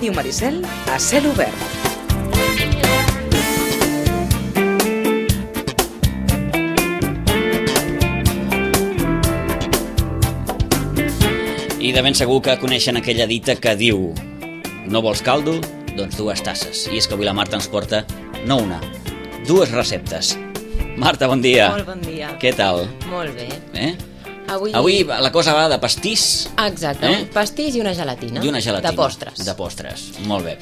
Ràdio Maricel a cel obert. I de ben segur que coneixen aquella dita que diu: no vols caldo? Doncs 2 tasses. I és que avui la Marta ens porta, no una, 2 receptes. Marta, bon dia. Molt bon dia. Què tal? Molt bé. Avui la cosa va de pastís. Exacte, un pastís i una gelatina. I una gelatina. De postres. De postres, molt bé.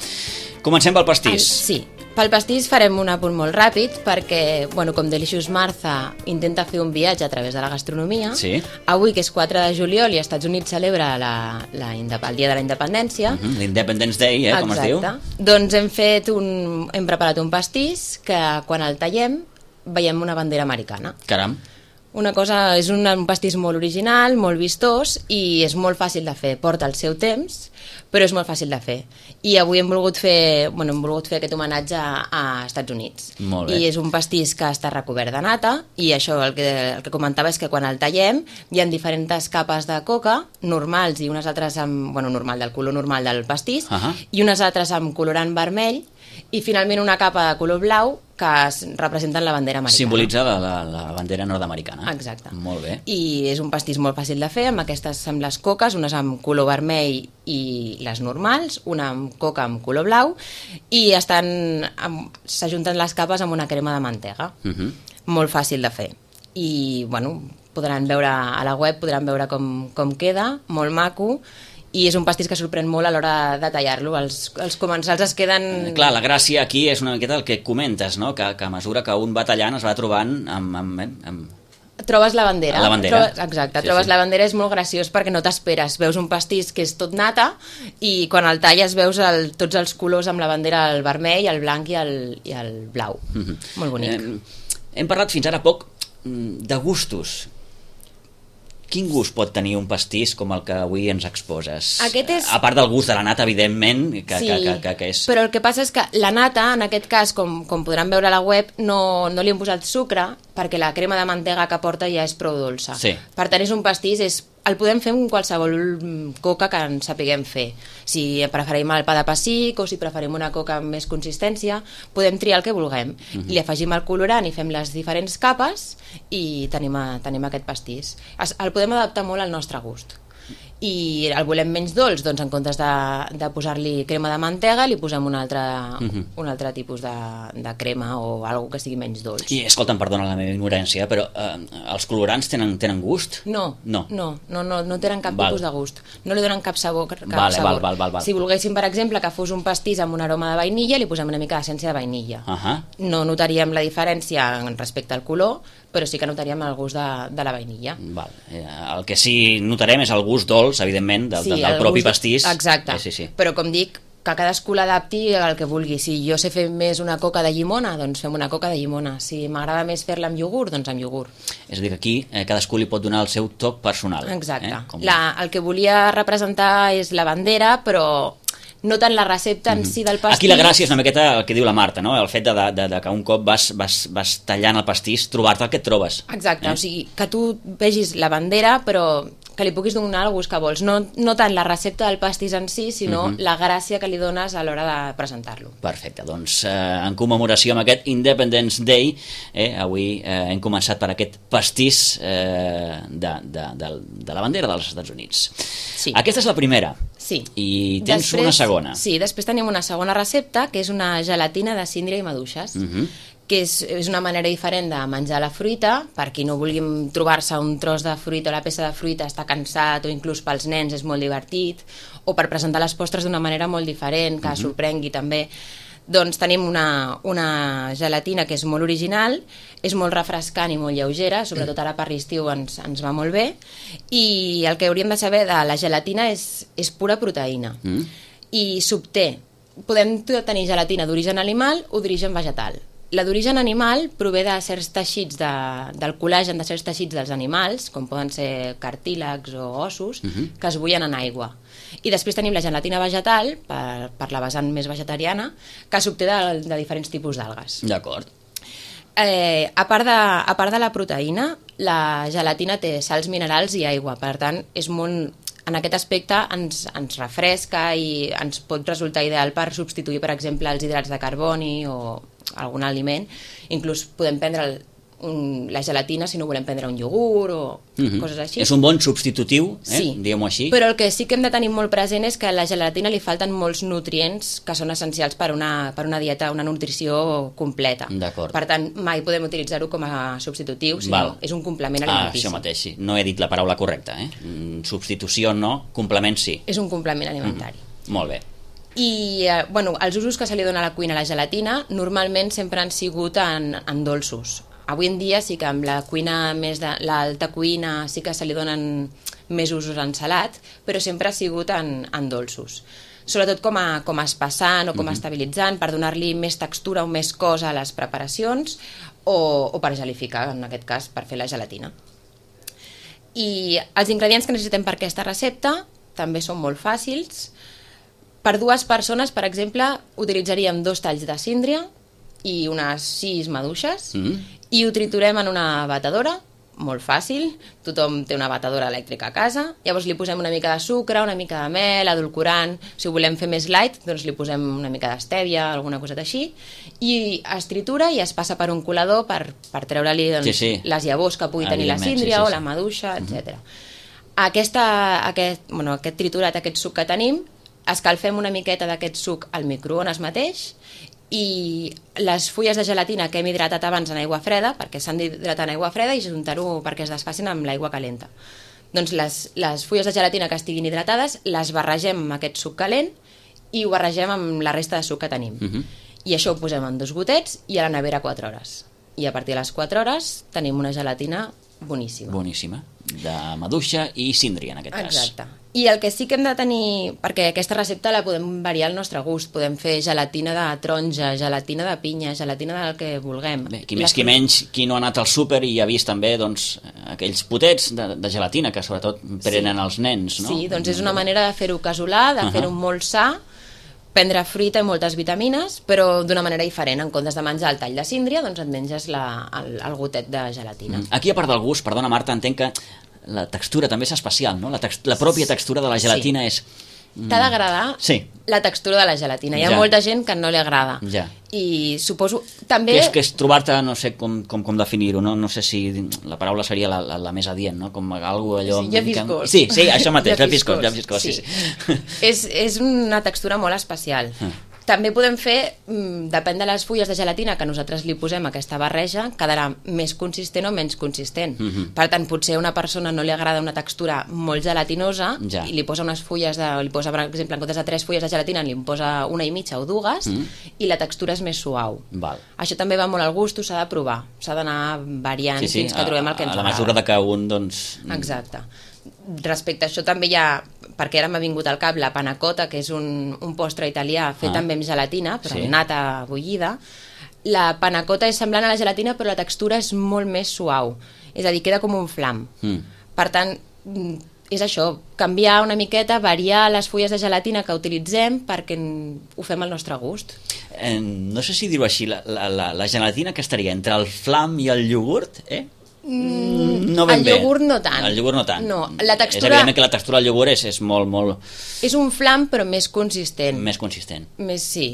Comencem pel pastís. Sí, pel pastís farem un apunt molt ràpid perquè, com Delicious Martha intenta fer un viatge a través de la gastronomia, sí. Avui, que és 4 de juliol i als Estats Units celebra el dia de la independència. L'Independence Day, com es diu. Doncs hem preparat un pastís que quan el tallem veiem una bandera americana. Caram. És un pastís molt original, molt vistós i és molt fàcil de fer. Porta el seu temps, però és molt fàcil de fer. I avui hem volgut fer aquest homenatge a Estats Units. Molt bé. I és un pastís que està recobert de nata i això, el que comentava és que quan el tallem hi ha diferents capes de coca normals i unes altres del color normal del pastís i unes altres amb colorant vermell i finalment una capa de color blau que representen la bandera americana. Simbolitza la bandera nord-americana. Exacte. Molt bé. I és un pastís molt fàcil de fer, amb les coques, unes amb color vermell i les normals, una amb coca amb color blau, i s'ajunten les capes amb una crema de mantega. Molt fàcil de fer. I, podran veure a la web, com queda, molt maco, i és un pastís que sorprèn molt a l'hora de tallar-lo. Els comensals es queden... Clar, la gràcia aquí és una miqueta el que comentes, no? Que a mesura que un va tallant es va trobant amb... Trobes la bandera. La bandera. Exacte, trobes la bandera, és molt graciós perquè no t'esperes. Veus un pastís que és tot nata i quan el talles veus tots els colors amb la bandera, el vermell, el blanc i el blau. Molt bonic. Hem parlat fins ara poc de gustos. Quin gust pot tenir un pastís com el que avui ens exposes? A part del gust de la nata, evidentment, que és... Però el que passa és que la nata, en aquest cas, com podran veure a la web, no li hem posat sucre perquè la crema de mantega que porta ja és prou dolça. Sí. Per tant, és un pastís, el podem fer amb qualsevol coca que en sapiguem fer. Si preferim el pa de pessic o si preferim una coca amb més consistència, podem triar el que vulguem. Li afegim el colorant i fem les diferents capes i tenim aquest pastís. El podem adaptar molt al nostre gust. I el volem menys dolç, doncs en comptes de posar-li crema de mantega li posem un altre tipus de crema o alguna que sigui menys dolç. I escolta'm, perdona la meva ignorància, però els colorants tenen gust? No tenen cap tipus de gust. No li donen cap sabor. Val. Si volguéssim, per exemple, que fos un pastís amb un aroma de vainilla, li posem una mica d'essència de vainilla. No notaríem la diferència respecte al color, però sí que notaríem el gust de la vainilla. El que sí notarem és el gust dolç, evidentment, del propi pastís. Exacte, però com dic, que cadascú l'adapti al que vulgui. Si jo sé fer més una coca de llimona, doncs fem una coca de llimona. Si m'agrada més fer-la amb iogurt, doncs amb iogurt. És a dir, que aquí cadascú li pot donar el seu toc personal. Exacte. El que volia representar és la bandera, però no tant la recepta en si del pastís. Aquí la gràcia és una miqueta el que diu la Marta, no? El fet de que un cop vas tallant el pastís, trobar-te el que et trobes. Exacte, o sigui, que tu vegis la bandera, però que li puguis donar el gust que vols. No tant la recepta del pastís en si, sinó la gràcia que li dones a l'hora de presentar-lo. Perfecte, doncs en commemoració amb aquest Independence Day, avui hem començat per aquest pastís de la bandera dels Estats Units. Sí. Aquesta és la primera. Sí. I tens una segona. Sí, després tenim una segona recepta, que és una gelatina de síndria i maduixes, que és una manera diferent de menjar la fruita. Per qui no vulgui trobar-se un tros de fruita o la peça de fruita, està cansat, o inclús pels nens és molt divertit, o per presentar les postres d'una manera molt diferent, que sorprengui també. Doncs tenim una gelatina que és molt original, és molt refrescant i molt lleugera, sobretot ara per l'estiu ens va molt bé, i el que hauríem de saber de la gelatina és pura proteïna i s'obté. Podem tenir gelatina d'origen animal o d'origen vegetal. La d'origen animal prové de certs teixits, del col·lagen de certs teixits dels animals, com poden ser cartílags o ossos, que es bullen en aigua. I després tenim la gelatina vegetal, per la vessant més vegetariana, que s'obté de diferents tipus d'algues. D'acord. A part de la proteïna, la gelatina té sals minerals i aigua, per tant és molt en aquest aspecte ens refresca i ens pot resultar ideal per substituir, per exemple, els hidrats de carboni o algun aliment. Inclús podem prendre la gelatina si no volem prendre un iogurt o coses així. És un bon substitutiu, sí, diguem-ho així. Però el que sí que hem de tenir molt present és que a la gelatina li falten molts nutrients que són essencials per una dieta, una nutrició completa. Per tant, mai podem utilitzar-ho com a substitutiu, sinó és un complement alimentici. Això mateix, sí. No he dit la paraula correcta. Substitució no, complement sí. És un complement alimentari. Molt bé. I els usos que se li dona a la cuina a la gelatina normalment sempre han sigut en dolços. Avui en dia sí que amb la cuina més de l'alta cuina sí que se li donen més usos en salat, però sempre ha sigut en dolços. Sobretot com a espessant o com a estabilitzant, per donar-li més textura o més cos a les preparacions o per gelificar, en aquest cas, per fer la gelatina. I els ingredients que necessitem per aquesta recepta també són molt fàcils. Per 2 persones, per exemple, utilitzaríem 2 talls de síndria i unes 6 maduixes i ho triturem en una batedora, molt fàcil, tothom té una batedora elèctrica a casa, llavors li posem una mica de sucre, una mica de mel, edulcorant, si ho volem fer més light, doncs li posem una mica d'estèvia, alguna coseta així, i es tritura i es passa per un colador per treure-li les llavors que pugui tenir la síndria o la maduixa, etc. Aquest triturat, aquest suc que tenim, escalfem una miqueta d'aquest suc al microones mateix i les fulles de gelatina que hem hidratat abans en aigua freda, perquè s'han d'hidratar en aigua freda i juntar-ho perquè es desfacin amb l'aigua calenta. Doncs les fulles de gelatina que estiguin hidratades les barregem amb aquest suc calent i ho barregem amb la resta de suc que tenim. I això ho posem en 2 gotets i a la nevera 4 hores. I a partir de les 4 hores tenim una gelatina boníssima. Boníssima, de maduixa i síndria en aquest cas. Exacte. I el que sí que hem de tenir, perquè aquesta recepta la podem variar al nostre gust, podem fer gelatina de taronja, gelatina de pinya, gelatina del que vulguem. Bé, qui més qui menys, qui no ha anat al súper i ha vist també aquells potets de gelatina que sobretot prenen els nens, no? Sí, doncs és una manera de fer-ho casolà, de fer-ho molt sa, prendre fruita i moltes vitamines, però d'una manera diferent. En comptes de menjar el tall de síndria, doncs et menges el gotet de gelatina. Aquí, a part del gust, perdona Marta, entenc que la textura també és especial, no? La pròpia textura de la gelatina és... T'ha d'agradar la textura de la gelatina. Hi ha molta gent que no li agrada. I suposo també... Que és trobar-te, no sé com definir-ho, no sé si la paraula seria la més adient, no? Com algo allò... Llafiscós. Sí, això mateix, llafiscós, sí. És una textura molt especial. També podem fer, depèn de les fulles de gelatina que nosaltres li posem a aquesta barreja, quedarà més consistent o menys consistent. Per tant, potser a una persona no li agrada una textura molt gelatinosa i li posa unes fulles, li posa, per exemple, en comptes de 3 fulles de gelatina, li posa 1 i mitja o 2 i la textura és més suau. Això també va molt al gust, s'ha de provar, s'ha d'anar variant fins que trobem el que ens agrada. A la mesura de que un, doncs... Exacte. Respecte a això també hi ha, perquè ara m'ha vingut al cap, la panna cotta, que és un postre italià fet també amb gelatina, però amb nata bullida. La panna cotta és semblant a la gelatina, però la textura és molt més suau. És a dir, queda com un flam. Per tant, és això, canviar una miqueta, variar les fulles de gelatina que utilitzem perquè ho fem al nostre gust. No sé si dir-ho així, la gelatina que estaria entre el flam i el iogurt, No ben bé. El iogurt no tant. El iogurt no tant. No, la textura... És evident que la textura del iogurt és molt... És un flam però més consistent. Més consistent. Sí.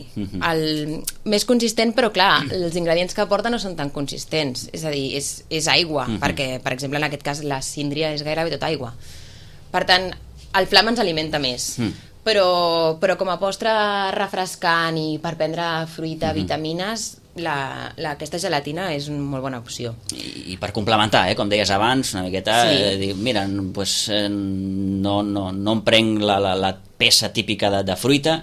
Més consistent, però clar, els ingredients que aporta no són tan consistents. És a dir, és aigua, perquè, per exemple, en aquest cas la síndria és gairebé tot aigua. Per tant, el flam ens alimenta més. Però com a postre refrescant i per prendre fruita, vitamines... aquesta gelatina és una molt bona opció. I per complementar, com deies abans, una miqueta, dir, mira, pues, no em prenc la peça típica de fruita,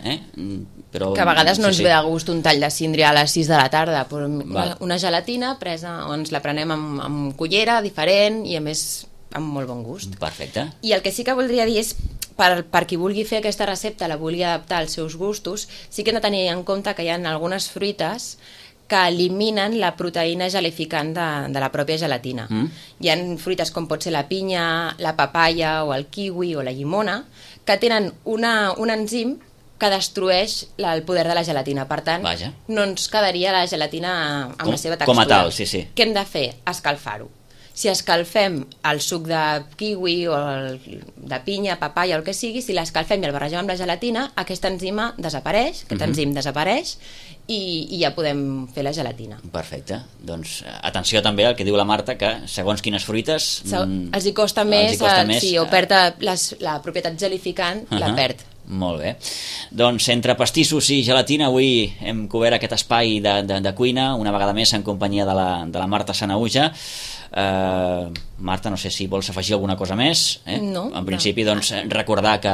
però... Que a vegades no ens ve de gust un tall de síndria a les 6 de la tarda, però una gelatina presa, ens la prenem amb cullera, diferent, i a més amb molt bon gust. Perfecte. I el que sí que voldria dir és, per qui vulgui fer aquesta recepta, la vulgui adaptar als seus gustos, sí que hem de tenir en compte que hi ha algunes fruites que eliminen la proteïna gelificant de la pròpia gelatina. Hi ha fruites com pot ser la pinya, la papaya o el kiwi o la llimona que tenen un enzim que destrueix el poder de la gelatina. Per tant, no ens quedaria la gelatina amb la seva textura. Com a tal, sí. Què hem de fer? Escalfar-ho. Si escalfem el suc de kiwi o de pinya, papaya o el que sigui, si l'escalfem i el barregem amb la gelatina, aquesta enzima desapareix, aquest enzim desapareix i ja podem fer la gelatina. Perfecte. Doncs atenció també al que diu la Marta, que segons quines fruites... Els hi costa més, sí, o perd la propietat gelificant, la perd. Molt bé. Doncs entre pastissos i gelatina avui hem cobert aquest espai de cuina, una vegada més en companyia de la Marta Sanahuja. Marta, no sé si vols afegir alguna cosa més. No. En principi, doncs, recordar que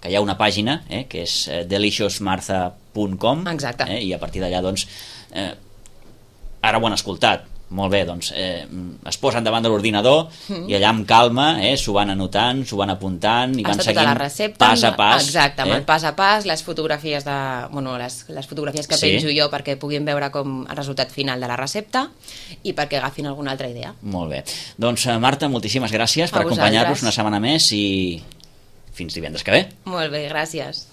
hi ha una pàgina, que és deliciousmartha.com. Exacte. I a partir d'allà, doncs, ara ho han escoltat. Molt bé, doncs es posen davant de l'ordinador i allà amb calma s'ho van anotant, s'ho van apuntant i van seguint pas a pas. Exacte, amb el pas a pas, les fotografies les fotografies que penjo jo perquè puguin veure com el resultat final de la recepta i perquè agafin alguna altra idea. Molt bé. Doncs Marta, moltíssimes gràcies per acompanyar-nos una setmana més i fins divendres que ve. Molt bé, gràcies.